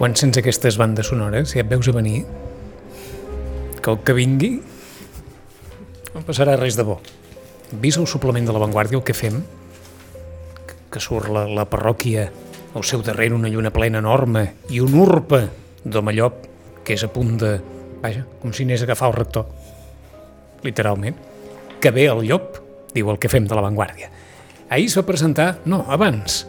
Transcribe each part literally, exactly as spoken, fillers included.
quan sents aquestes bandes sonores, si et veus a venir, que el que vingui no passarà res de bo. Vist el suplement de La Vanguardia, el que fem, que surt la, la parròquia al seu darrere, una lluna plena enorme i un urpa d'Omellop que és a punt de... Vaja, com si anés a agafar el rector, literalment. Que ve el llop, diu el que fem de La Vanguardia. Ahir es va presentar... No, abans.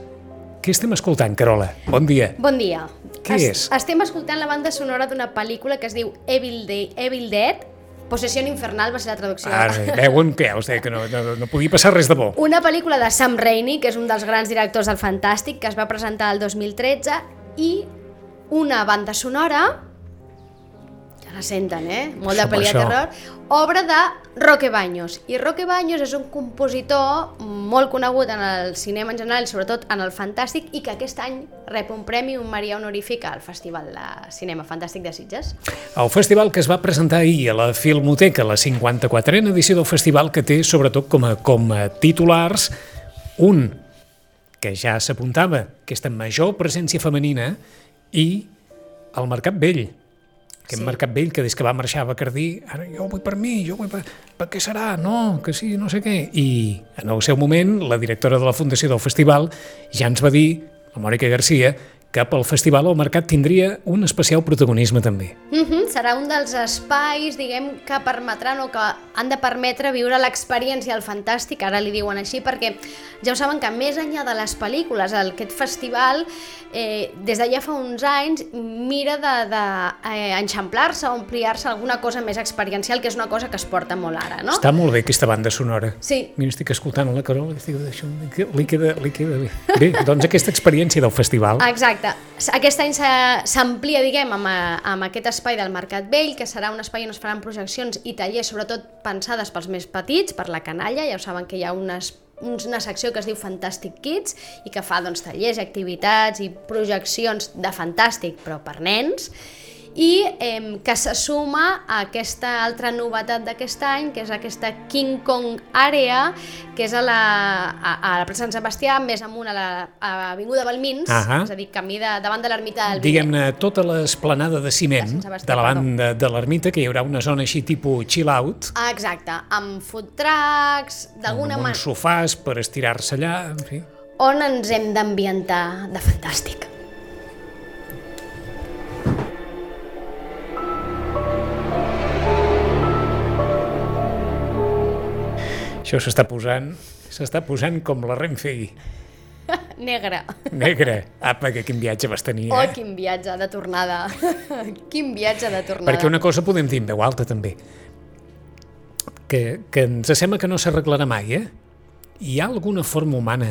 Què estem escoltant, Carola? Bon dia. Bon dia. Què es, és? Estem escoltant la banda sonora d'una pel·lícula que es diu Evil, Day, Evil Dead. Possessió infernal va ser la traducció. Ara, veuen que, o sigui, que no, no, no podia passar res de bo. Una pel·lícula de Sam Raimi, que és un dels grans directors del Fantàstic, que es va presentar el dos mil tretze, i una banda sonora... Ja la senten, eh? Molt de pel·li de terror. Obra de Roque Baños. I Roque Baños és un compositor molt conegut en el cinema en general, sobretot en el fantàstic, i que aquest any rep un premi, un Maria Honorífic al Festival de Cinema Fantàstic de Sitges. El festival que es va presentar ahir a la Filmoteca, la cinquanta-quatrena edició del festival, que té sobretot com a, com a titulars un que ja s'apuntava, aquesta major presència femenina, i el Mercat Vell. Aquest sí. Mercat Vell que des que va marxar a Bacardí, ara jo vull per mi, jo vull per... Per què serà? No, que sí, no sé què. I en el seu moment, la directora de la fundació del festival ja ens va dir, la Mònica Garcia, que pel festival el mercat tindria un especial protagonisme també. Mm-hmm, serà un dels espais, diguem, que permetran o que han de permetre viure l'experiència al fantàstic, ara li diuen així, perquè ja ho saben que més enllà de les pel·lícules, aquest festival, eh, des de ja fa uns anys, mira d'enxamplar-se de, eh, o ampliar-se alguna cosa més experiencial, que és una cosa que es porta molt ara, no? Està molt bé aquesta banda sonora. Sí. Mira, estic escoltant la Carola i estic d'això, li queda, li queda bé. Bé, doncs aquesta experiència del festival... Exacte. Aquest any s'amplia, diguem, amb, amb aquest espai del Mercat Vell, que serà un espai on es faran projeccions i tallers, sobretot pensades pels més petits, per la canalla. Ja ho saben que hi ha unes, una secció que es diu Fantastic Kids i que fa doncs, tallers, activitats i projeccions de fantàstic, però per nens, i eh, que se suma a aquesta altra novetat d'aquest any, que és aquesta King Kong Area, que és a la, a, a la plaça Sant Sebastià, més amunt a l'avinguda Balmins, uh-huh. és a dir, camí de, davant de l'ermita del Vinyet. Diguem-ne, tota l'esplanada de ciment de, de la banda de l'ermita, que hi haurà una zona així tipus chill out. Ah, exacte, amb food trucks, d'alguna manera... Amb uns sofàs per estirar-se allà, en fi. On ens hem d'ambientar de fantàstic. Això s'està posant, s'està posant com la Renfe. Negre. Negre. Apa, que quin viatge vas tenir, eh? Oh, quin viatge de tornada. Quin viatge de tornada. Perquè una cosa podem dir en veu alta, també. Que, que ens sembla que no s'arreglarà mai, eh? Hi ha alguna forma humana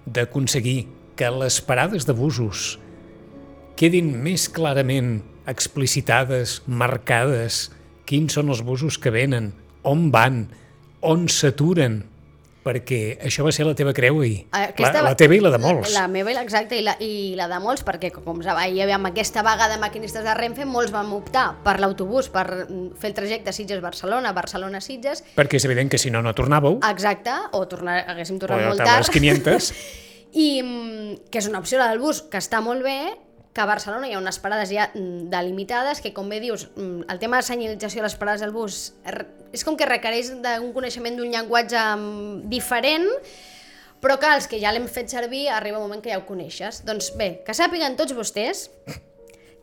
d'aconseguir que les parades de busos quedin més clarament explicitades, marcades, quins són els busos que venen, on van, on s'aturen, perquè això va ser la teva creu ahir. Aquesta, la, la teva i la de molts. La, la meva, exacte, i la, i la de molts, perquè com hi havia amb aquesta vaga de maquinistes de Renfe, molts vam optar per l'autobús, per fer el trajecte Sitges-Barcelona, Barcelona-Sitges. Perquè és evident que si no, no tornàveu. Exacte, o tornar, haguéssim tornat o molt tard. O les quinientes. I que és una opció, la del bus, que està molt bé, que a Barcelona hi ha unes parades ja delimitades, que com bé dius, el tema de senyalització de les parades del bus és com que requereix d'un coneixement d'un llenguatge diferent, però que els que ja l'hem fet servir arriba un moment que ja ho coneixes. Doncs bé, que sàpiguen tots vostès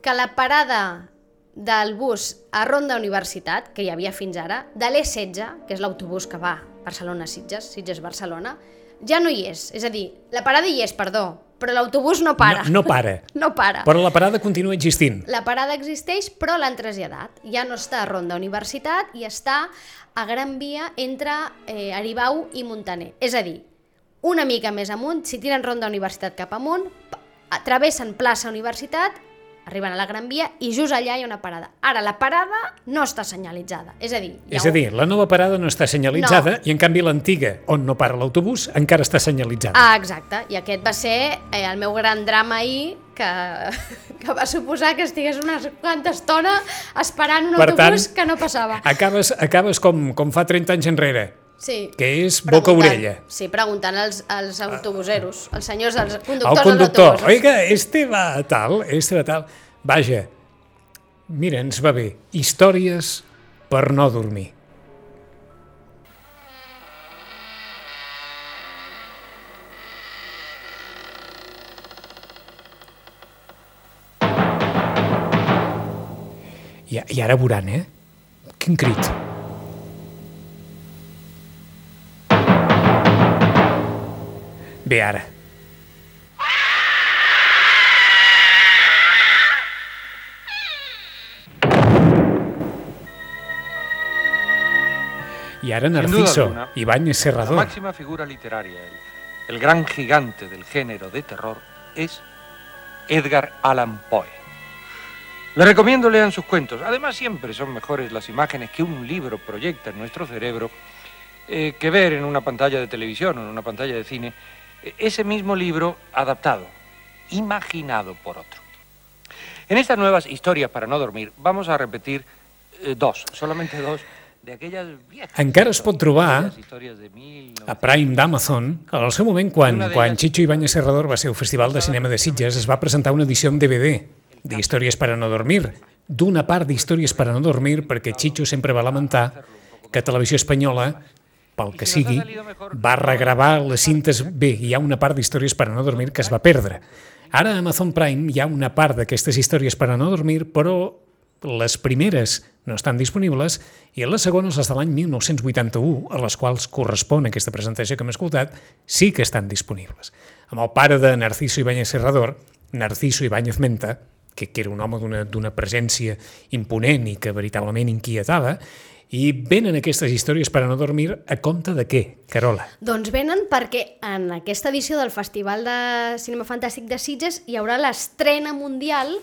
que la parada del bus a Ronda Universitat, que hi havia fins ara, de l'E setze, que és l'autobús que va Barcelona-Sitges, Sitges-Barcelona, ja no hi és. És a dir, la parada hi és, perdó, però l'autobús no para. No, no para. No para. Però la parada continua existint. La parada existeix, però l'han traslladat. Ja no està a Ronda Universitat i està a Gran Via entre eh, Aribau i Montaner. És a dir, una mica més amunt, si tiren Ronda Universitat cap amunt, travessen plaça Universitat, arriben a la Gran Via i just allà hi ha una parada. Ara, la parada no està senyalitzada. És a dir, és a dir, la nova parada no està senyalitzada no. I en canvi l'antiga, on no para l'autobús, encara està senyalitzada. Ah, exacte. I aquest va ser eh, el meu gran drama ahir, que, que va suposar que estigués una quanta estona esperant un per autobús tant, que no passava. Acabes, acabes com, com fa trenta anys enrere. Sí. Que és boca-orella. Sí, preguntant als, als autobuseros, als senyors, als conductors El dels conductor, autobusos. oiga, este va a tal, este va a tal. Vaja, mira, ens va bé. Històries per no dormir. I, I ara veuran, eh? Quin crit. Bé, ara. Y ahora Narciso, Ibáñez Serrador. La máxima figura literaria, el, el gran gigante del género de terror, es Edgar Allan Poe. Le recomiendo lean sus cuentos. Además, siempre son mejores las imágenes que un libro proyecta en nuestro cerebro eh, que ver en una pantalla de televisión o en una pantalla de cine ese mismo libro adaptado, imaginado por otro. En estas nuevas historias para no dormir vamos a repetir eh, dos, solamente dos, de aquelles viejas... Encara es pot trobar a Prime d'Amazon. Al seu moment, quan, quan Chicho Ibáñez Serrador va ser al Festival de Cinema de Sitges, es va presentar una edició en D V D d'Històries per a no dormir, d'una part d'Històries per a no dormir, perquè Chicho sempre va lamentar que Televisió Espanyola, pel que sigui, va regravar les cintes bé. Hi ha una part d'Històries per a no dormir que es va perdre. Ara a Amazon Prime hi ha una part d'aquestes històries per a no dormir, però les primeres no estan disponibles i les segones, les de l'any mil nou-cents vuitanta-u, a les quals correspon aquesta presentació que hem escoltat, sí que estan disponibles. Amb el pare de Narciso Ibáñez Serrador, Narciso Ibáñez Menta, que, que era un home d'una presència imponent i que veritablement inquietava, i venen aquestes històries per a no dormir a compte de què, Carola? Doncs venen perquè en aquesta edició del Festival de Cinema Fantàstic de Sitges hi haurà l'estrena mundial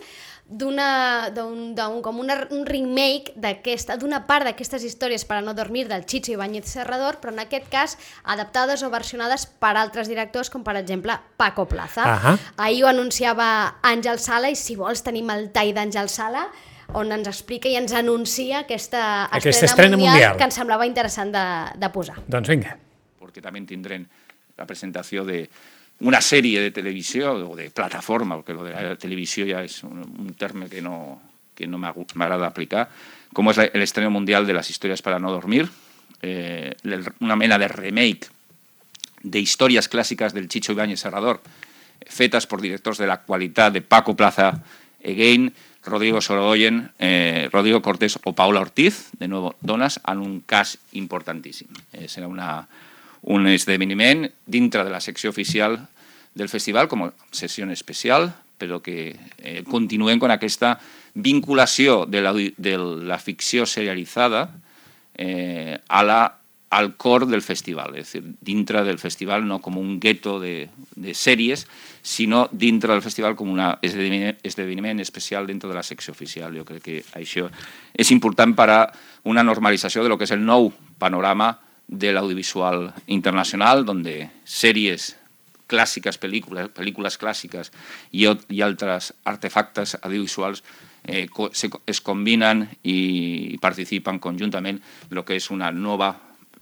d'una, d'un, d'un, com una, un remake d'aquesta, d'una part d'aquestes històries per a no dormir del Chicho Ibáñez Serrador, però en aquest cas adaptades o versionades per altres directors, com per exemple Paco Plaza. Uh-huh. Ahir ho anunciava Àngel Sala, i si vols tenim el tall d'Àngel Sala, on ens explica i ens anuncia aquesta, aquesta estrena, estrena mundial, mundial que ens semblava interessant de, de posar. Doncs vinga. Porque también tendrán la presentación de una serie de televisión o de plataforma, porque lo de la televisión ya es un, un término que no, que no me agrada aplicar, como es el estreno mundial de las historias para no dormir, eh, una mena de remake de historias clásicas del Chicho Ibáñez Serrador, fetas por directores de la actualidad de Paco Plaza Again, Rodrigo Sorogoyen, eh, Rodrigo Cortés o Paula Ortiz, de nuevo dones, en un cas importantíssim. Eh, serà una, un esdeveniment dintre de la secció oficial del festival, com a sessió especial, però que eh, continuem amb aquesta vinculació de la, de la ficció serialitzada eh, a la, al cor del festival, és a dir, dintre del festival no com un gueto de, de sèries, sinó dintre del festival com un esdeveniment, esdeveniment especial dintre de la secció oficial. Jo crec que això és important per a una normalització de lo que és el nou panorama de l'audiovisual internacional, donde sèries clàssiques, pel·lícules, pel·lícules clàssiques i, i altres artefactes audiovisuals eh, se, es combinen i participen conjuntament en lo que és una nova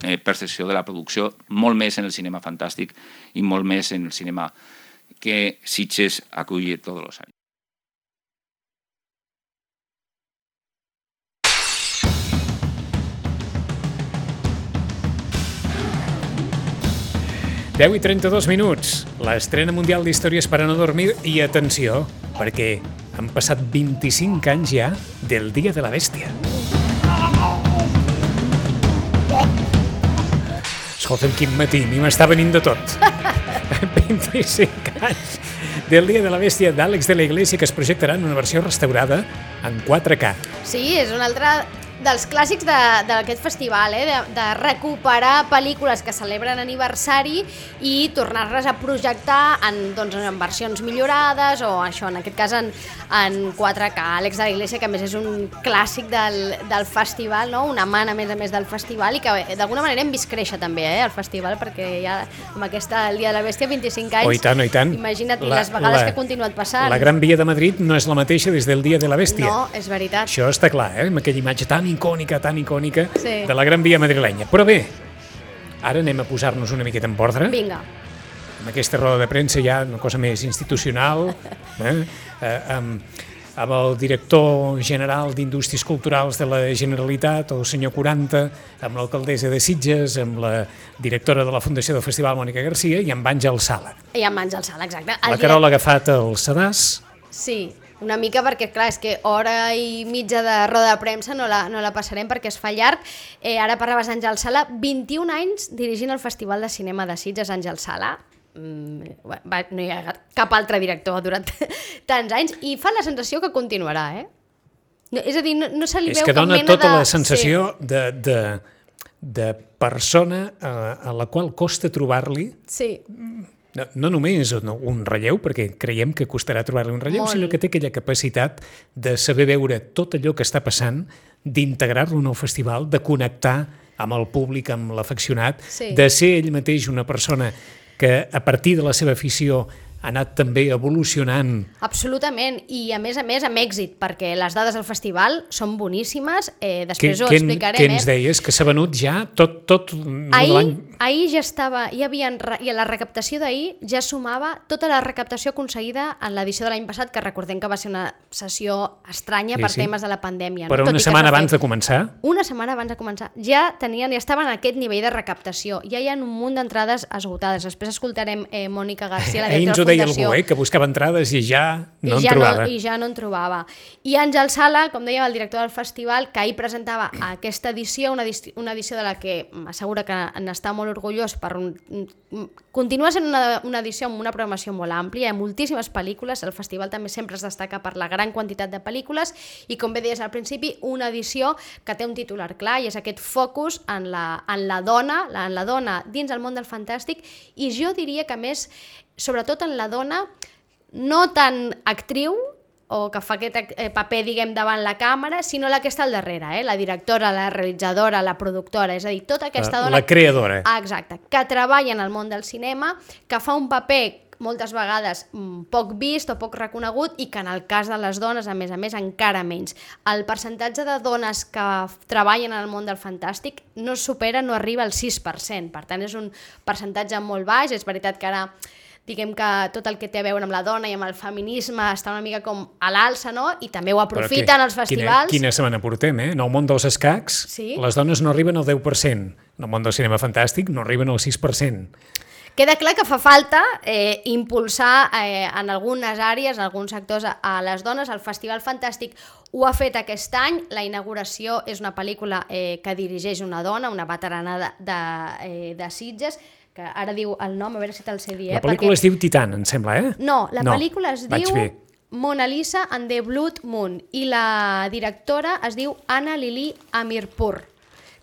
eh, percepció de la producció, molt més en el cinema fantàstic i molt més en el cinema que Sitges acull tots els anys. deu i trenta-dos minuts, l'estrena mundial d'Històries per a no dormir, i atenció, perquè han passat vint-i-cinc anys ja del Dia de la Bèstia. Escolta'm, quin matí, a mi m'està venint de tot. vint-i-cinc anys del Dia de la Bèstia d'Àlex de la Iglesia, que es projectarà en una versió restaurada en quatre K. Sí, és un altre dels clàssics d'aquest festival, eh? de, de recuperar pel·lícules que celebren aniversari i tornar-les a projectar en, doncs, en versions millorades o això, en aquest cas en, en quatre K. Àlex de la Iglesia, que a més és un clàssic del, del festival, no? Una mana a més a més del festival, i que d'alguna manera hem vist créixer també eh, el festival, perquè ja amb aquesta el Dia de la Bèstia, vint-i-cinc anys, oh, i tant, oh, i tant. Imagina't la, les vegades la, que ha continuat passant. La Gran Via de Madrid no és la mateixa des del Dia de la Bèstia. No, és veritat. Això està clar, eh? Amb aquella imatge tan icònica, tan icònica, sí, de la Gran Via madrilenya. Però bé, Ara anem a posar-nos una miqueta en ordre. Vinga. Amb aquesta roda de premsa ja una cosa més institucional, eh? Eh, amb, amb el director general d'Indústries Culturals de la Generalitat, el senyor quaranta, amb l'alcaldessa de Sitges, amb la directora de la Fundació del Festival, Mònica Garcia, i amb Àngel Sala. I amb Àngel Sala, exacte. La Carola ha agafat el sedàs. Sí, una mica perquè, clar, és que hora i mitja de roda de premsa no la, no la passarem perquè es fa llarg. Eh, ara parlaves d'Àngel Sala, vint-i-un anys dirigint el Festival de Cinema de Sitges, Àngel Sala. Mm, va, no hi ha cap altre director durant tants anys i fa la sensació que continuarà, eh? No, és a dir, no, no se li és veu que cap dona mena tota de... la sensació sí. de, de, de persona a, a la qual costa trobar-li Sí. No, no només un relleu, perquè creiem que costarà trobar-li un relleu, Molt. sinó que té aquella capacitat de saber veure tot allò que està passant, d'integrar-lo en el festival, de connectar amb el públic, amb l'afeccionat, Sí. de ser ell mateix una persona que a partir de la seva afició ha anat també evolucionant. Absolutament, i a més a més amb èxit, perquè les dades del festival són boníssimes, eh, després Què- ho què- explicarem. Què ens eh? deies? Que s'ha venut ja tot, tot Ahir, l'any... ahir ja estava, hi havia, i a la recaptació d'ahir ja sumava tota la recaptació aconseguida en l'edició de l'any passat, que recordem que va ser una sessió estranya Sí, per sí. temes de la pandèmia. Però no? Tot una i que setmana es va abans fer- de començar... Una setmana abans de començar. Ja tenien, ja estaven a aquest nivell de recaptació. Ja hi ha un munt d'entrades esgotades. Després escoltarem eh, Mònica Garcia, la Ahir ens directora ho de deia la Fundació. algú, eh, que buscava entrades i ja no I en ja trobava. No, I ja no en trobava. I Àngel Sala, com deia el director del festival, que ahir presentava aquesta edició, una, edició, una edició de la que m'assegura que n'està molt orgullós per un... Continua sent una, una edició amb una programació molt àmplia, hi ha moltíssimes pel·lícules, el festival també sempre es destaca per la gran quantitat de pel·lícules i, com bé deies al principi, una edició que té un titular clar i és aquest focus en la, en la dona, la, en la dona dins el món del fantàstic, i jo diria que més, sobretot en la dona, no tan actriu, o que fa aquest eh, paper, diguem, davant la càmera, sinó la que està al darrere, eh? La directora, la realitzadora, la productora, és a dir, tota aquesta La- dona... la creadora. Ah, exacte, que treballa en el món del cinema, que fa un paper moltes vegades mm, poc vist o poc reconegut i que en el cas de les dones, a més a més, encara menys. El percentatge de dones que treballen en el món del fantàstic no supera, no arriba al sis per cent, per tant és un percentatge molt baix. És veritat que ara diguem que tot el que té a veure amb la dona i amb el feminisme està una mica com a l'alça, no? I també ho aprofiten els festivals. Quina, quina setmana portem, eh? En el món dels escacs, Sí. les dones no arriben al deu per cent. En el món del cinema fantàstic no arriben al sis per cent. Queda clar que fa falta eh, impulsar eh, en algunes àrees, en alguns sectors, a, a les dones. El Festival Fantàstic ho ha fet aquest any. La inauguració és una pel·lícula eh, que dirigeix una dona, una veterana de, de, eh, de Sitges, que ara diu el nom, a veure si te'l sé dir. Eh? La pel·lícula perquè... es diu Titan, em sembla, eh? No, la no, pel·lícula es vaig diu bé. Mona Lisa and the Blood Moon i la directora es diu Anna Lili Amirpour,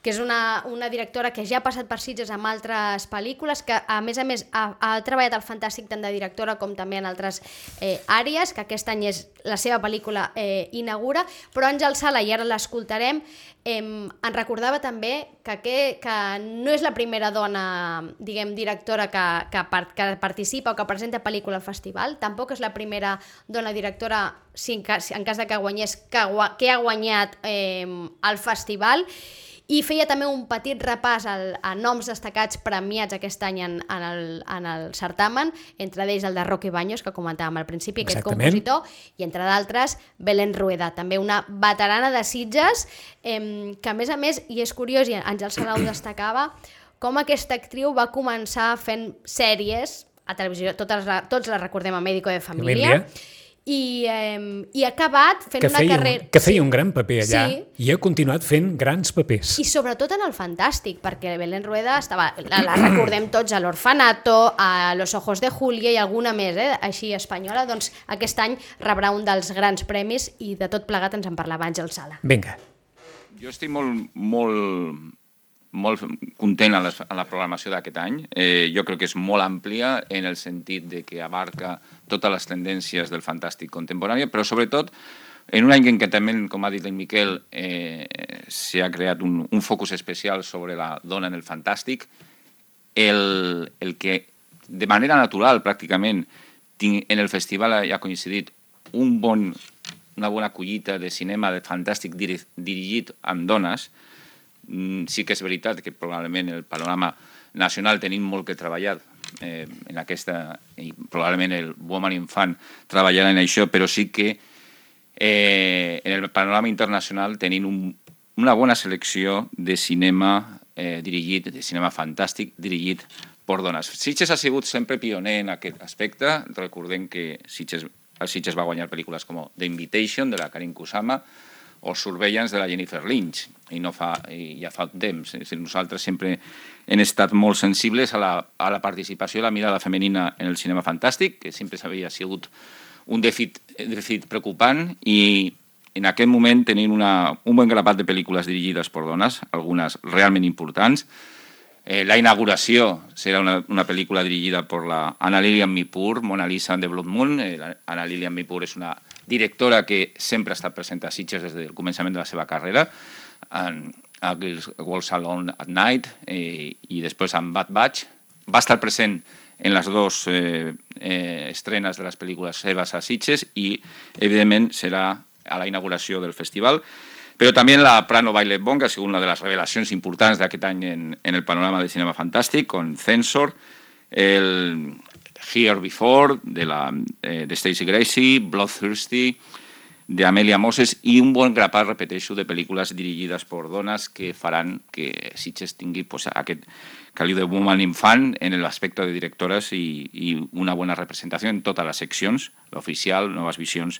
que és una, una directora que ja ha passat per Sitges amb altres pel·lícules, que a més a més ha, ha treballat al Fantàstic tant de directora com també en altres eh, àrees, que aquest any és la seva pel·lícula eh, inaugura, però Àngel Sala, i ara l'escoltarem, eh, en recordava també que, que, que no és la primera dona, diguem, directora que, que, part, que participa o que presenta pel·lícula al festival, tampoc és la primera dona directora, si en cas, en cas de que guanyés, que, que ha guanyat eh, el festival. I feia també un petit repàs al, a noms destacats premiats aquest any en, en, el, en el certamen, entre ells el de Roque Baños, que comentàvem al principi, aquest Exactament. compositor, i entre d'altres Belén Rueda, també una veterana de Sitges, eh, que a més a més, i és curiós, i Àngel Sala ho destacava, com aquesta actriu va començar fent sèries a televisió, totes, tots les recordem a Médico de Família, Família. I, eh, i ha acabat fent Que una feia, carrera... un, que feia un gran paper allà Sí. i ha continuat fent grans papers. I sobretot en el fantàstic, perquè Belén Rueda estava, la, la recordem tots, a l'Orfanato, a Los Ojos de Julia i alguna més, eh, així espanyola, doncs aquest any rebrà un dels grans premis i de tot plegat ens en parlava Àngel Sala. Vinga. Jo estic molt, molt, molt content a la, a la programació d'aquest any. Eh, jo crec que és molt àmplia en el sentit de que abarca totes les tendències del fantàstic contemporani, però sobretot en un any en què també, com ha dit el Miquel, eh, s'ha creat un, un focus especial sobre la dona en el fantàstic, el, el que de manera natural pràcticament tinc, en el festival ha coincidit un bon, una bona collita de cinema de fantàstic diri, dirigit amb dones, sí que és veritat que probablement el panorama nacional tenim molt que treballar eh, en aquesta, i probablement el Woman Infant treballarà en això, però sí que eh, en el panorama internacional tenim un, una bona selecció de cinema eh, dirigit, de cinema fantàstic dirigit per dones. Sitges ha sigut sempre pioner en aquest aspecte. Recordem que Sitges, el Sitges va guanyar pel·lícules com The Invitation, de la Karin Kusama, o Surveillance, de la Jennifer Lynch, i no fa, i ja fa temps. És a dir, nosaltres sempre hem estat molt sensibles a la, a la participació i la mirada femenina en el cinema fantàstic, que sempre s'havia sigut un dèficit, dèficit preocupant, i en aquest moment tenim una, un bon grapat de pel·lícules dirigides per dones, algunes realment importants. Eh, la inauguració serà una, una pel·lícula dirigida per la Anna Lilian Mipur, Mona Lisa and the Blood Moon. Eh, la Anna Lilian Mipur és una directora que sempre ha estat present a Sitges des del començament de la seva carrera, en a Girls Walk Alone at Night eh, i després en Bad Batch. Va estar present en les dues eh, eh, estrenes de les pel·lícules seves a Sitges i, evidentment, serà a la inauguració del festival. Però també la Prano Violet Bond, que ha sigut una de les revelacions importants d'aquest any en, en el panorama del cinema fantàstic, con Censor, el Here Before, de, la, eh, de Stacey Gracie, Bloodthirsty, de Amelia Moses, i un bon grapat, repeteixo, de pel·lícules dirigides per dones que faran que Sitges tingui pues, aquest caliu de Woman Infant en l'aspecte de directores i, i una bona representació en totes les seccions, l'oficial, noves visions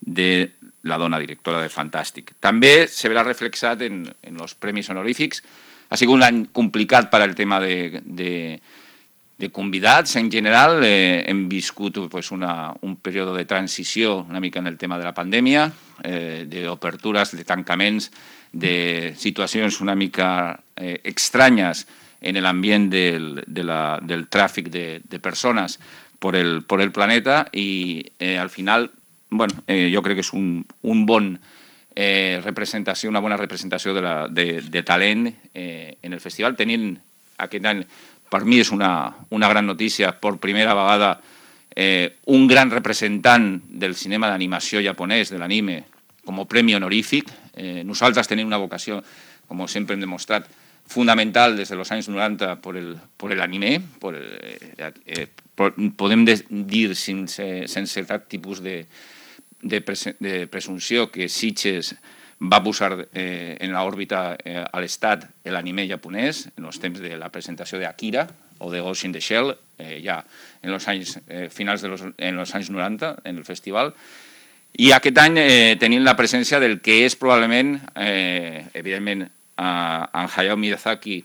de la dona directora de Fantàstic. També se verà reflexat en, en els premis honorífics. Ha sigut un any complicat per al tema de, de, de convidats. En general eh, hem viscut pues, una, un període de transició una mica en el tema de la pandèmia, eh, d'obertures, de tancaments, de situacions una mica eh, estranyes en l'ambient del, de la, del tràfic de, de persones per el, per el planeta i eh, al final bueno, eh, jo crec que és un, un bon eh, representació, una bona representació de, la, de, de talent eh, en el festival. Tenint aquest any, per mi és una, una gran notícia, per primera vegada eh, un gran representant del cinema d'animació japonès, de l'anime, com a premi honorífic. Eh, nosaltres tenim una vocació, com sempre hem demostrat, fundamental des dels anys noranta per l'anime. Eh, eh, podem dir sense, sense cap tipus de De, pres de presumpció que Sitges va posar eh, en l'òrbita eh, a l'estat l'anime japonès en els temps de la presentació d'Akira o de Ghost in the Shell, eh, ja en els anys, eh, finals de los, en els anys noranta en el festival. I aquest any eh, tenim la presència del que és probablement, eh, evidentment, a, a Hayao Miyazaki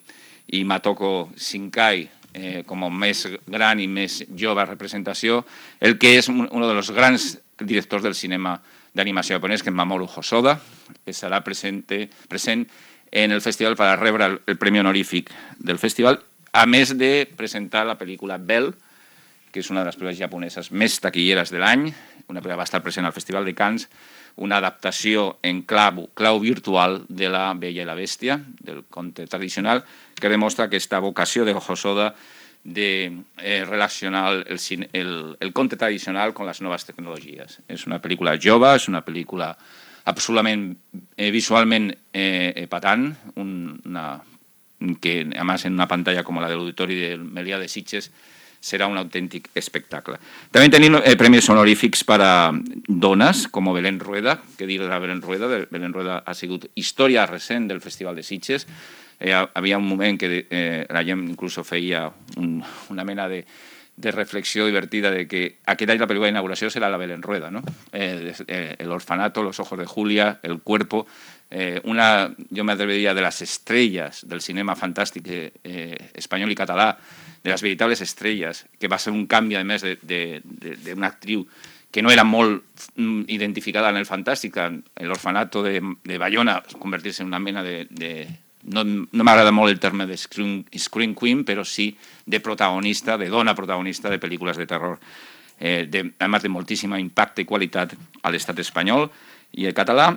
i Matoko Shinkai, eh, com a més gran i més jove representació, el que és un, un dels grans directors del cinema d'animació japonès, que és Mamoru Hosoda, que serà present, present en el festival per a rebre el, el premi honorífic del festival, a més de presentar la pel·lícula Belle, que és una de les pel·lícules japoneses més taquilleres de l'any, una pel·lícula que va estar present al Festival de Cannes, una adaptació en clau, clau virtual de La Bella i la Bèstia, del conte tradicional, que demostra aquesta vocació de Hosoda de eh, relacionar el, el, el conte tradicional con les noves tecnologies. És una pel·lícula jove, és una pel·lícula absolutament eh, visualment eh, epatant, un, una, que a més en una pantalla com la de l'Auditori del Melià de Sitges serà un autèntic espectacle. També tenim eh, premis honorífics per a dones, com Belén Rueda, que dir de la Belén Rueda, Belén Rueda ha sigut història recent del Festival de Sitges. Eh, havia un moment que eh, la gent inclús feia un, una mena de, de reflexió divertida de que aquest any la pel·lícula d'inauguració serà la Belén Rueda, ¿no? Eh, eh, el orfanato, Los ojos de Julia, El cuerpo, eh, una, yo me atrevería, de las estrellas del cinema fantàstic eh, espanyol i català, de les veritables estrelles, que va ser un canvi, a més, d'una actriu que no era molt identificada en el fantàstic, en l'orfanato de, de Bayona, convertir-se en una mena de... de no no m'agrada molt el terme de screen, screen queen, però sí de protagonista, de dona protagonista de pel·lícules de terror, eh, de, a més de moltíssima impacte i qualitat a l'estat espanyol i el català.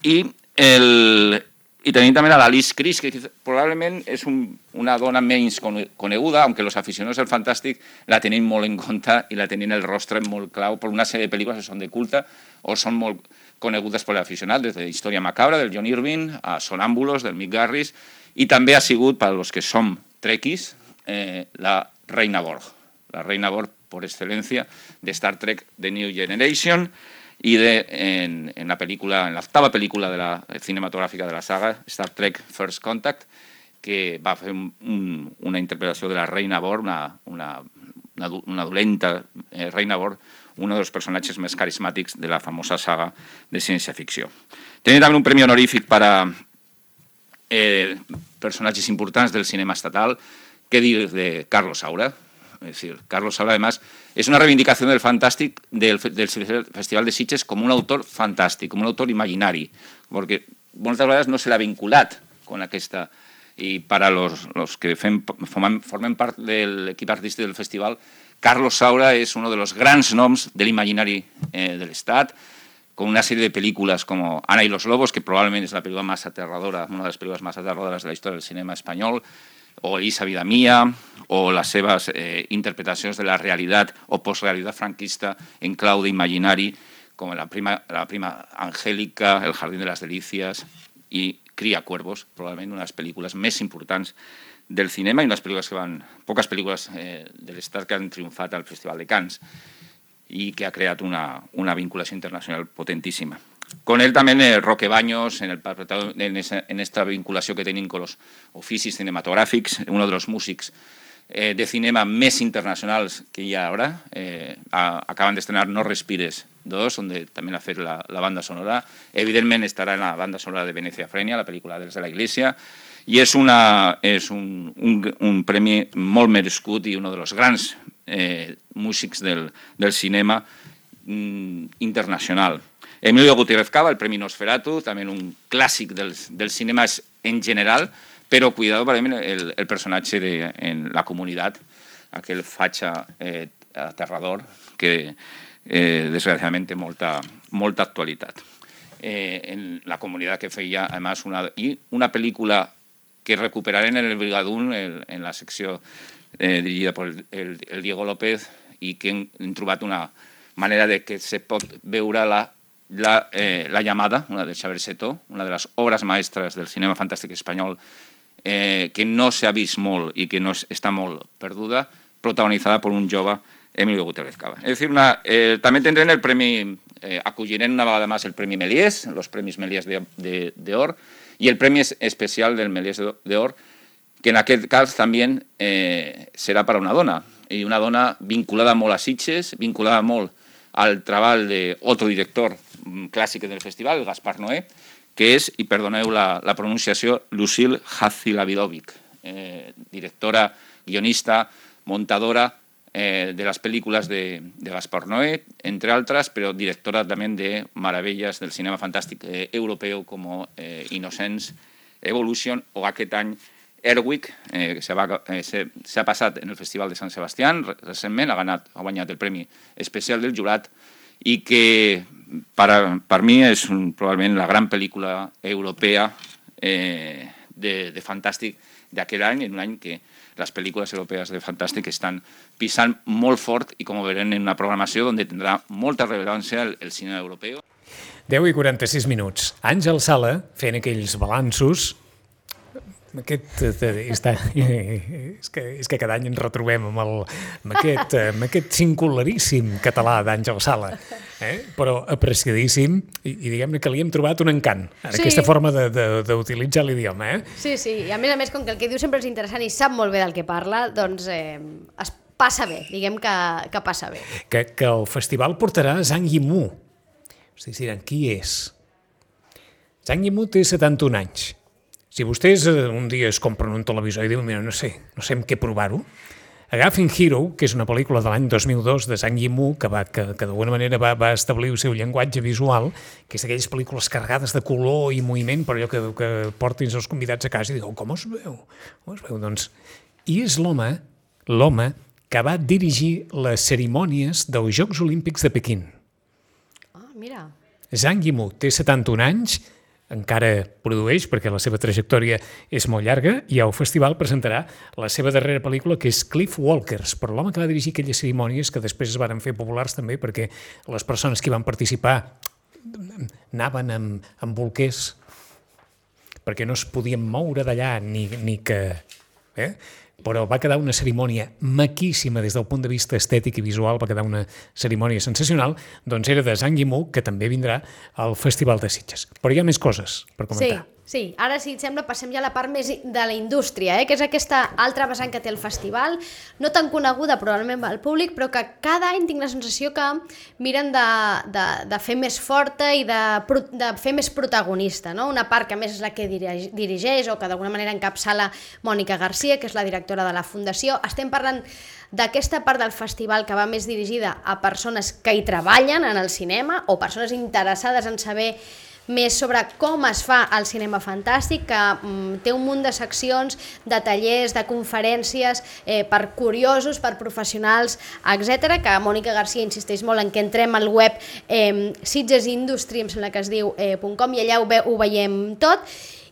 I, el, i tenim també a l'Alice Criss, que probablement és un, una dona menys coneguda, aunque els aficionats al fantàstic la tenim molt en compte i la tenim el rostre molt clau per una sèrie de pel·lícules que són de culte o són molt conegudes per l'aficionat, des de Història macabra, del John Irving, a Sonàmbulos, del Mick Garris, i també ha sigut, per als que som trekkies, eh, la Reina Borg, la Reina Borg por excelencia de Star Trek The New Generation y de, en, en la película, en la octava película de la cinematográfica de la saga, Star Trek First Contact, que va fer un, un, una interpretació de la Reina Borg, una, una, una, una dolenta eh, Reina Borg, uno de los personajes más carismáticos de la famosa saga de ciencia ficción. Tiene también un premio honorífic para eh, personajes importantes del cinema estatal, que dir de Carlos Saura. Es decir, Carlos Saura, además, es una reivindicación del fantàstic del, del Festival de Sitges com un autor fantàstic, com un autor imaginari, perquè moltes vegades no se l'ha vinculat con aquesta... Y para los, los que fem, formen, formen part de l'equip artístic del festival, Carlos Saura es uno de los grans noms de l'imaginari eh, del Estat, con una serie de películas como Ana y los Lobos, que probablemente es la película más aterradora, una de las películas más aterradoras de la historia del cinema espanyol, o Elisa Vida Mía, o les seves eh, interpretacions de la realitat o postrealitat franquista en clau d'imaginari, com la prima, la prima Angélica, El jardín de las delicias i Cría cuervos, probablement una de les pel·lícules més importants del cinema i unes pel·lícules que van, poques pel·lícules eh, de l'Estat que han triomfat al Festival de Cannes i que ha creat una, una vinculació internacional potentíssima. Con él también eh, Roque Baños, en, el, en, esa, en esta vinculació que tenim con los oficis cinematogràfics, uno de los músics eh, de cinema més internacionals que hi ha ara. Eh, a, acaban de estrenar No Respires dos, donde también ha fet la, la banda sonora. Evidentment estarà en la banda sonora de Venecia Frenia, la pel·lícula Desde la Iglesia, i és, una, és un, un, un premi molt merescut i un dels grans eh, músics del, del cinema mm, internacional. Emilio Gutiérrez Cava, el Premi Nosferatu, també un clàssic del, del cinema en general, però cuidado per el, el personatge de, en la comunitat, aquell fatxa eh, aterrador que eh, desgraciadament té molta, molta actualitat. Eh, en la comunitat que feia, a més, una, i una pel·lícula que recuperarem en el Brigadún, el, en la secció eh, dirigida per el, el, el Diego López, i que hem, hem trobat una manera de que se pot veure la La, eh, la llamada, una de Xavier Setó, una de les obres maestres del cinema fantàstic espanyol, eh, que no s'ha vist molt i que no es, està molt perduda, protagonitzada per un jove, Emilio Gutiérrez Cava. Es decir, una, eh, també tindrem el premi, eh, acollirem una vegada més el Premi Méliès, els Premis Méliès d'Or, i el Premi Especial del Méliès d'Or, que en aquest cas també eh, serà per a una dona, i una dona vinculada molt a Sitges, vinculada molt al treball d'altre director clàssic del festival, el Gaspar Noé, que és, i perdoneu la, la pronunciació, Lucille Hadjilavidovic, eh, directora, guionista, montadora eh, de les pel·lícules de, de Gaspar Noé, entre altres, però directora també de meravelles del cinema fantàstic eh, europeu com eh, Innocence, Evolution o aquest any Erwick, eh, que s'ha eh, passat en el Festival de Sant Sebastián recentment, ha, ganat, ha guanyat el Premi Especial del Jurat i que per, per mi és un, probablement la gran pel·lícula europea eh, de, de fantàstic d'aquell any, en un any que les pel·lícules europees de fantàstic estan pisant molt fort i com veurem en una programació on tindrà molta rellevància el, el cinema europeu. deu i quaranta-sis minuts. Àngel Sala, fent aquells balanços. Aquest, està, és, que, és que cada any ens retrobem amb, el, amb, aquest, amb aquest singularíssim català d'Àngel Sala, eh? Però apreciadíssim i, i diguem-ne que li hem trobat un encant en sí. Aquesta forma d'utilitzar l'idioma. Eh? Sí, sí, i a més a més, com que el que diu sempre és interessant i sap molt bé del que parla, doncs eh, es passa bé, diguem que, que passa bé. Que, que el festival portarà Zhang Yimou. Hosti, diran, qui és? Zhang Yimou té setanta-un anys. Si vostès un dia es compren un televisor i diuen, mira, no sé, no sé amb què provar-ho, agafin Hero, que és una pel·lícula de l'any dos mil dos de Zhang Yimou, que, va, que, que d'alguna manera va, va establir el seu llenguatge visual, que és d'aquelles pel·lícules carregades de color i moviment, per allò que, que portin els convidats a casa i diuen, com es veu? Com es veu? Doncs, i és l'home, l'home que va dirigir les cerimònies dels Jocs Olímpics de Pequín. Ah, mira. Zhang Yimou té setanta-un anys, encara produeix, perquè la seva trajectòria és molt llarga, i al festival presentarà la seva darrera pel·lícula, que és Cliff Walkers, però l'home que va dirigir aquelles cerimònies que després es van fer populars també perquè les persones que hi van participar anaven amb, amb bolquers perquè no es podien moure d'allà ni, ni que... Eh? Però va quedar una cerimònia maquíssima des del punt de vista estètic i visual, va quedar una cerimònia sensacional, doncs era de Zhang Yimou, que també vindrà al Festival de Sitges. Però hi ha més coses per comentar. Sí, sí. Ara, si et sembla, passem ja a la part més de la indústria, eh? que és aquesta altra vessant que té el festival, no tan coneguda probablement al públic, però que cada any tinc la sensació que miren de, de, de fer més forta i de, de fer més protagonista, no? Una part que a més és la que dirigeix o que d'alguna manera encapçala Mònica Garcia, que és la directora de la Fundació. Estem parlant d'aquesta part del festival que va més dirigida a persones que hi treballen en el cinema o persones interessades en saber més sobre com es fa el cinema fantàstic, que mm, té un munt de seccions, de tallers, de conferències eh, per curiosos, per professionals, etcètera, que Mònica Garcia insisteix molt en que entrem al web eh, Sitges Industry, em sembla que es diu, eh, .com, i allà ho, ve, ho veiem tot.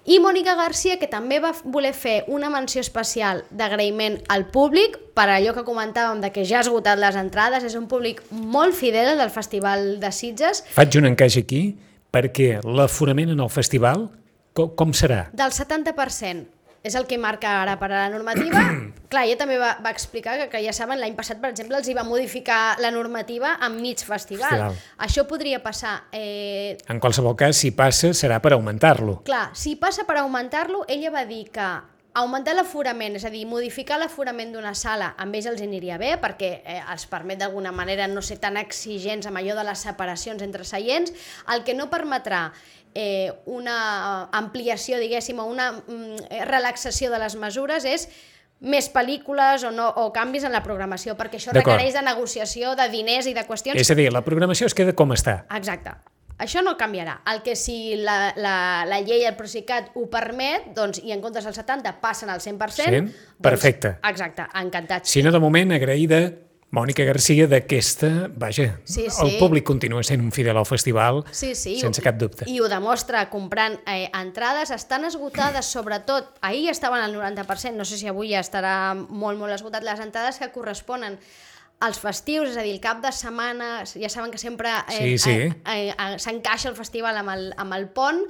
I Mònica Garcia, que també va voler fer una menció especial d'agraïment al públic, per allò que comentàvem de que ja ha esgotat les entrades, és un públic molt fidel del Festival de Sitges. Faig un encaix aquí, perquè l'aforament en el festival, com, com serà? Del setanta per cent. És el que marca ara per a la normativa. Clar, ella també va, va explicar que, que ja saben, l'any passat, per exemple, els hi va modificar la normativa en mig festival. festival. Això podria passar... Eh... En qualsevol cas, si passa, serà per augmentar-lo. Clar, si passa per augmentar-lo, ella va dir que augmentar l'aforament, és a dir, modificar l'aforament d'una sala, amb ells els aniria bé, perquè eh, els permet d'alguna manera no ser tan exigents amb allò de les separacions entre seients. El que no permetrà eh, una ampliació, diguéssim, o una mm, relaxació de les mesures és més pel·lícules o, no, o canvis en la programació, perquè això requereix de negociació, de diners i de qüestions... És a dir, la programació es queda com està. Exacte. Això no canviarà. El que si la, la, la llei, el Procicat, ho permet, doncs, i en comptes del setanta passen al cent per cent... cent? Perfecte. Doncs, exacte, encantats. Si no, de moment, agraïda Mònica Garcia d'aquesta... Vaja, sí, sí. el públic continua sent un fidel al festival, sí, sí. sense cap dubte. I ho demostra comprant eh, entrades. Estan esgotades, sobretot, ahir estaven al noranta per cent, no sé si avui ja estarà molt, molt esgotat, les entrades que corresponen als festius, és a dir, el cap de setmana, ja saben que sempre eh, sí, sí. eh, eh, eh, s'encaixa el festival amb el, amb el pont,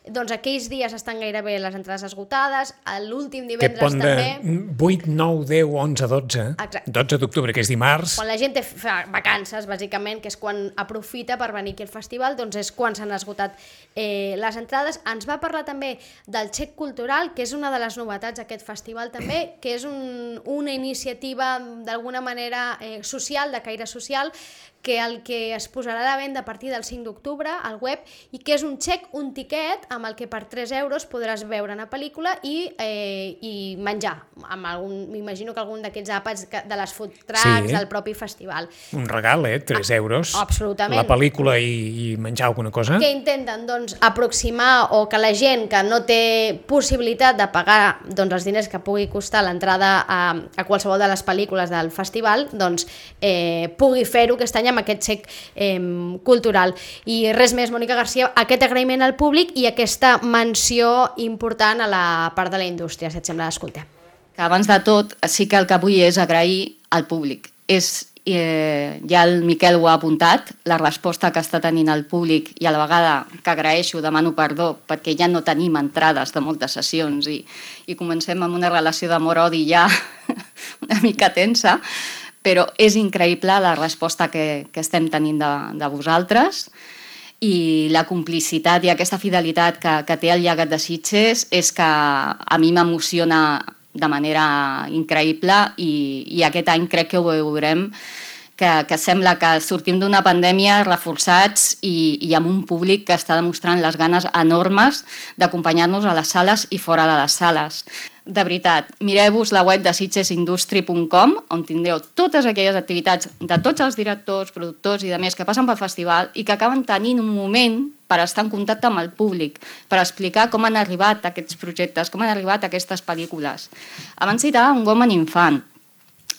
doncs aquells dies estan gairebé les entrades esgotades, l'últim divendres també. també... De vuit, nou, deu, onze, dotze, Exacte. dotze d'octubre, que és dimarts. Quan la gent té fa vacances, bàsicament, que és quan aprofita per venir aquí al festival, doncs és quan s'han esgotat eh, les entrades. Ens va parlar també del xec cultural, que és una de les novetats d'aquest festival també, que és un, una iniciativa d'alguna manera eh, social, de caire social, que el que es posarà a la venda a partir del cinc d'octubre al web i que és un xec, un tiquet amb el que per tres euros podràs veure una pel·lícula i, eh, i menjar. Amb algun, m'imagino que algun d'aquests àpats de les food trucks, sí. del propi festival. Un regal, eh? tres euros. Absolutament. La pel·lícula i, i menjar alguna cosa. Que intenten, doncs, aproximar o que la gent que no té possibilitat de pagar doncs, els diners que pugui costar l'entrada a, a qualsevol de les pel·lícules del festival, doncs, eh, pugui fer-ho aquest any amb aquest xec eh, cultural. I res més, Mònica Garcia, aquest agraïment al públic i aquesta menció important a la part de la indústria, si et sembla, escoltem. Que abans de tot, sí que el que vull és agrair al públic. És, eh, ja el Miquel ho ha apuntat, la resposta que està tenint el públic, i a la vegada que agraeixo, demano perdó, perquè ja no tenim entrades de moltes sessions i, i comencem amb una relació d'amor-odi ja una mica tensa, però és increïble la resposta que, que estem tenint de, de vosaltres i la complicitat i aquesta fidelitat que, que té el Llegat de Sitges és que a mi m'emociona de manera increïble i, i aquest any crec que ho veurem, que, que sembla que sortim d'una pandèmia reforçats i, i amb un públic que està demostrant les ganes enormes d'acompanyar-nos a les sales i fora de les sales. De veritat, mireu-vos la web de sitges industry punt com, on tindreu totes aquelles activitats de tots els directors, productors i demés que passen pel festival i que acaben tenint un moment per estar en contacte amb el públic, per explicar com han arribat aquests projectes, com han arribat aquestes pel·lícules. Abans citava un Woman Infant.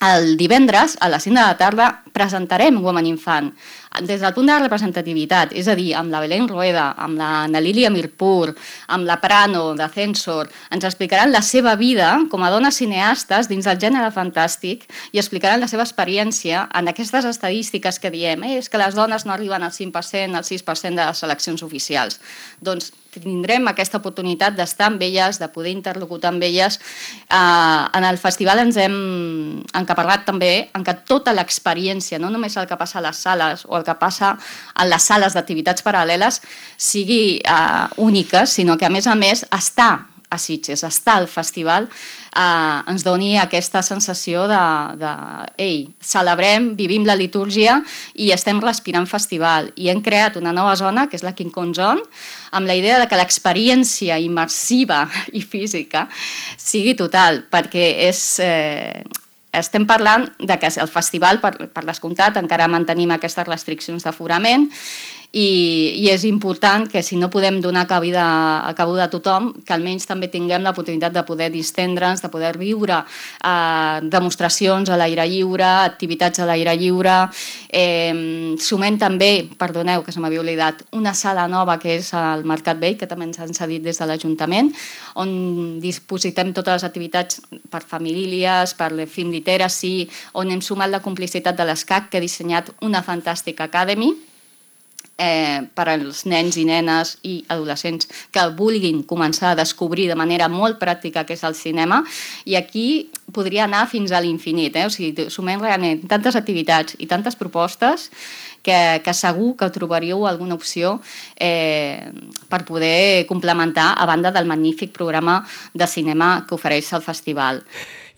El divendres, a les cinc de la tarda, presentarem Woman Infant. des del punt de la representativitat, és a dir, amb la Belén Rueda, amb la Nalilia Mirpur, amb la Prano de Censor, ens explicaran la seva vida com a dones cineastes dins del gènere fantàstic i explicaran la seva experiència en aquestes estadístiques que diem, eh, és que les dones no arriben al cinc per cent, al sis per cent de les seleccions oficials. Doncs tindrem aquesta oportunitat d'estar amb elles, de poder interlocutar amb elles. Eh, en el festival ens hem encaparrat també en que tota l'experiència, no només el que passa a les sales o el que passa a les sales d'activitats paral·leles, sigui eh, única, sinó que a més a més està a Sitges, estar al festival, eh, ens doni aquesta sensació de, de ei, celebrem, vivim la litúrgia i estem respirant festival. I hem creat una nova zona, que és la King Kong Zone, amb la idea de que l'experiència immersiva i física sigui total, perquè és... Eh, estem parlant de que el festival, per, per descomptat, encara mantenim aquestes restriccions d'aforament i, i és important que si no podem donar cabida, cabuda a tothom, que almenys també tinguem l'oportunitat de poder distendre'ns, de poder viure eh, demostracions a l'aire lliure, activitats a l'aire lliure. Eh, sumem també, perdoneu que se m'havia oblidat, una sala nova que és al Mercat Vell, que també ens han cedit des de l'Ajuntament, on dispositem totes les activitats per famílies, per film literacy, on hem sumat la complicitat de l'ESCAC, que ha dissenyat una fantàstica academy eh, per als nens i nenes i adolescents que vulguin començar a descobrir de manera molt pràctica què és el cinema, i aquí podria anar fins a l'infinit, eh? O sigui, sumem realment tantes activitats i tantes propostes que, que segur que trobaríeu alguna opció eh, per poder complementar a banda del magnífic programa de cinema que ofereix el festival.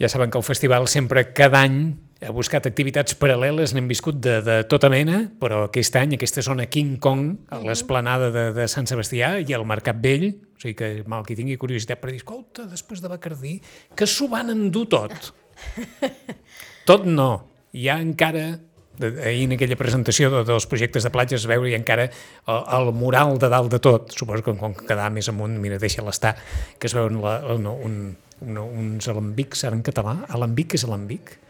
Ja saben que el festival sempre, cada any, ha buscat activitats paral·leles, n'hem viscut de, de tota mena, però aquest any, aquesta zona King Kong, a l'esplanada de, de Sant Sebastià i al Mercat Vell, o sigui que mal qui tingui curiositat per dir, escolta, després de Bacardí, que s'ho van endur tot. Tot no. Hi ha encara, ahir en aquella presentació dels projectes de platges, es veu hi ha encara el, el mural de dalt de tot. Suposo que com quedar més amunt, mira, deixa-la estar, que es veuen la, no, un, un, uns alambics, ara en català, alambic és alambic?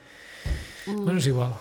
Mm. Bueno, és igual.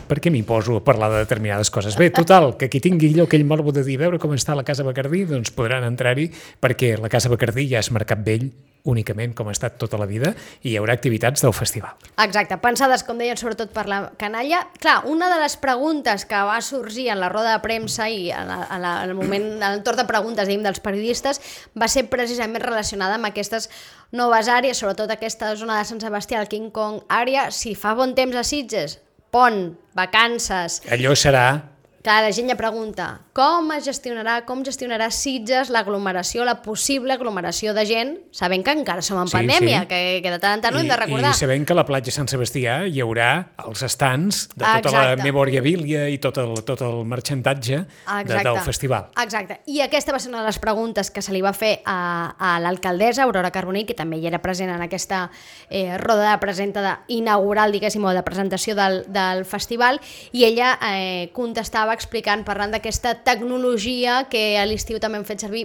Per què m'hi poso a parlar de determinades coses? Bé, total, que qui tingui allò aquell morbo de dir veure com està la Casa Bacardí, doncs podran entrar-hi, perquè la Casa Bacardí ja és Mercat Vell únicament, com ha estat tota la vida, i hi haurà activitats del festival. Exacte, pensades, com deien, sobretot per la canalla. Clar, una de les preguntes que va sorgir en la roda de premsa i en, la, en, la, en el moment, en el torn de preguntes, diguem, dels periodistes, va ser precisament relacionada amb aquestes noves àrees, sobretot aquesta zona de Sant Sebastià, el King Kong àrea. Si fa bon temps a Sitges, pont, vacances... Allò serà... Clar, la gent ja pregunta, com es gestionarà, com gestionarà Sitges l'aglomeració, la possible aglomeració de gent, sabent que encara som en sí, pandèmia, sí. Que, que de tant en tant ho hem de recordar. I sabent que a la platja Sant Sebastià hi haurà els estants de tota Exacte. La memorabilia i tot el, tot el marxantatge de, del festival. Exacte, i aquesta va ser una de les preguntes que se li va fer a, a l'alcaldessa Aurora Carbonell, que també hi era present en aquesta eh, roda de presenta inaugural, diguéssim, o de presentació del, del festival, i ella eh, contestava explicant, parlant d'aquesta tecnologia que a l'estiu també hem fet servir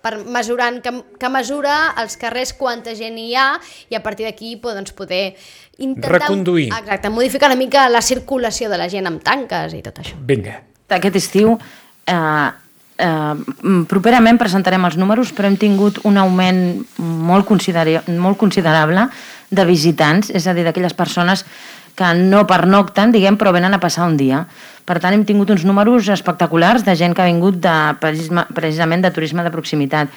per mesurant, que, que mesura als carrers quanta gent hi ha, i a partir d'aquí doncs, poder intentar... Reconduir. Exacte, modificar una mica la circulació de la gent amb tanques i tot això. Vinga. Aquest estiu, eh, eh, properament presentarem els números, però hem tingut un augment molt, considera- molt considerable de visitants, és a dir, d'aquelles persones que no pernocten, diguem, però venen a passar un dia. Per tant, hem tingut uns números espectaculars de gent que ha vingut de, precisament de turisme de proximitat.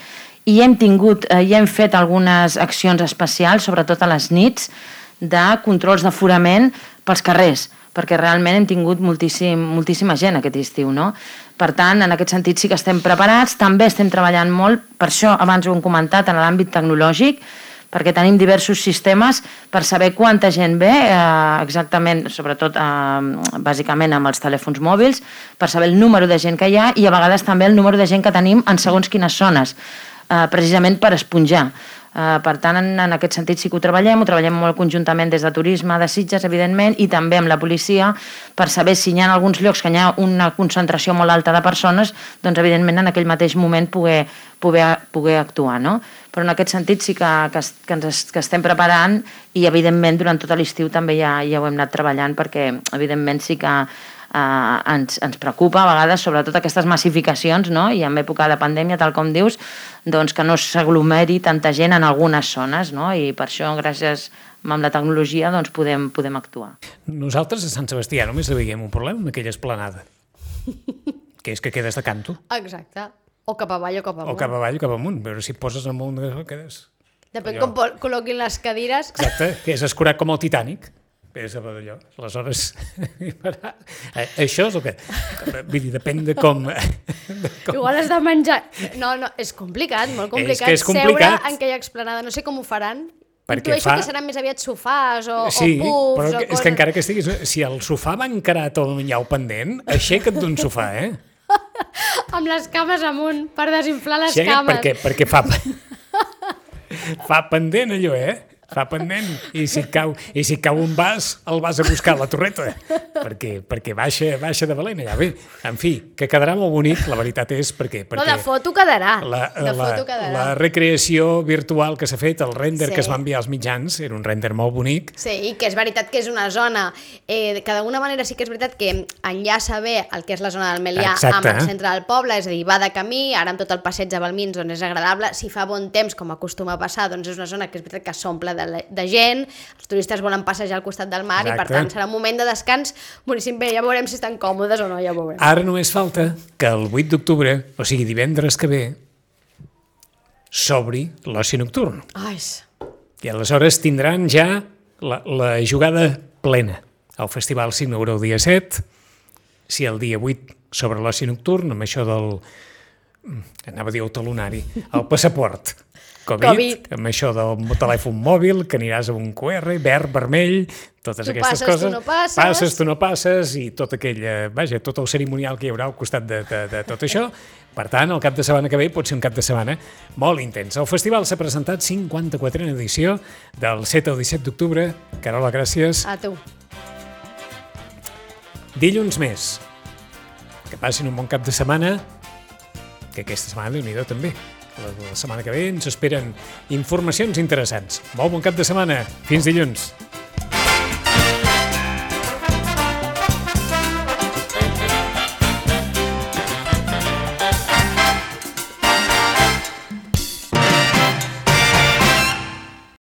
I hem tingut, eh, i hem fet algunes accions especials, sobretot a les nits, de controls d'aforament pels carrers, perquè realment hem tingut moltíssim, moltíssima gent aquest estiu, no? Per tant, en aquest sentit sí que estem preparats, també estem treballant molt, per això abans ho hem comentat, en l'àmbit tecnològic, perquè tenim diversos sistemes per saber quanta gent ve, eh, exactament, sobretot eh, bàsicament amb els telèfons mòbils, per saber el número de gent que hi ha i a vegades també el número de gent que tenim en segons quines zones, eh, precisament per esponjar. Uh, per tant, en, en aquest sentit sí que ho treballem, ho treballem molt conjuntament des de turisme, de Sitges, evidentment, i també amb la policia, per saber si hi ha alguns llocs que hi ha una concentració molt alta de persones, doncs evidentment en aquell mateix moment poder, poder, poder actuar, no? Però en aquest sentit sí que, que, que ens que estem preparant, i evidentment durant tot l'estiu també ja, ja ho hem anat treballant, perquè evidentment sí que eh, ens, ens preocupa a vegades, sobretot aquestes massificacions, no? I en època de pandèmia, tal com dius, doncs que no s'aglomeri tanta gent en algunes zones, no? I per això, gràcies amb la tecnologia, doncs podem, podem actuar. Nosaltres a Sant Sebastià només veiem un problema amb aquella esplanada, que és que quedes de canto. Exacte. O cap avall o cap amunt. O cap avall o cap amunt. A veure si et poses amunt, quedes... Depèn allò. com col·loquin les cadires. Exacte, que és escurat com el Titanic. És allò. Aleshores, això és el que... Vull dir, depèn de com... De com... Igual has de menjar... No, no, és complicat, molt complicat. És que és complicat. Seure en aquella explanada. No sé com ho faran. Perquè Intueixo fa... que seran més aviat sofàs o, sí, o pubs però o que, coses. és que encara que estiguis... Si el sofà va encarat o hi ha el pendent, aixeca't d'un sofà, eh? Amb les cames amunt, per desinflar les Aixeca't cames. perquè, perquè fa... fa pendent allò, eh? Fa pendent. I si et cau, i si et cau un vas, el vas a buscar a la torreta. Perquè, perquè baixa, baixa de valent allà. Bé, en fi, que quedarà molt bonic, la veritat és perquè... perquè No, de foto quedarà. La, de la, foto quedarà. la recreació virtual que s'ha fet, el render Sí. que es va enviar als mitjans, era un render molt bonic. Sí, i que és veritat que és una zona eh, que d'alguna manera sí que és veritat que enllaça bé el que és la zona del Melià Exacte. amb el centre del poble, és a dir, va de camí, ara amb tot el passeig de Balmins doncs és agradable, si fa bon temps com acostuma a passar, doncs és una zona que és veritat que s'omple de, de gent, els turistes volen passejar al costat del mar. Exacte. I per tant serà un moment de descans boníssim. Bé, ja veurem si estan còmodes o no, ja veurem. Ara només falta que el vuit d'octubre, o sigui divendres que ve, s'obri l'oci nocturn. Ai, I aleshores tindran ja la, la jugada plena. El festival s'inaugura el dia set, si el dia vuit sobre l'oci nocturn, amb això del... anava a dir el talonari, el passaport. COVID, Covid. Amb això del telèfon mòbil, que aniràs a un Q R, verd, vermell, totes Tu aquestes passes, coses. tu no passes. Passes, tu no passes, i tot aquell, vaja, tot el cerimonial que hi haurà al costat de, de, de tot això. Per tant, el cap de setmana que ve pot ser un cap de setmana molt intens. El festival s'ha presentat cinquanta-quatrena edició del set al disset d'octubre. Carola, gràcies. a tu. Dilluns més. Que passin un bon cap de setmana, que aquesta setmana, Déu-n'hi-do, també. La, la setmana que ve ens esperen informacions interessants. Molt bon cap de setmana. Fins dilluns.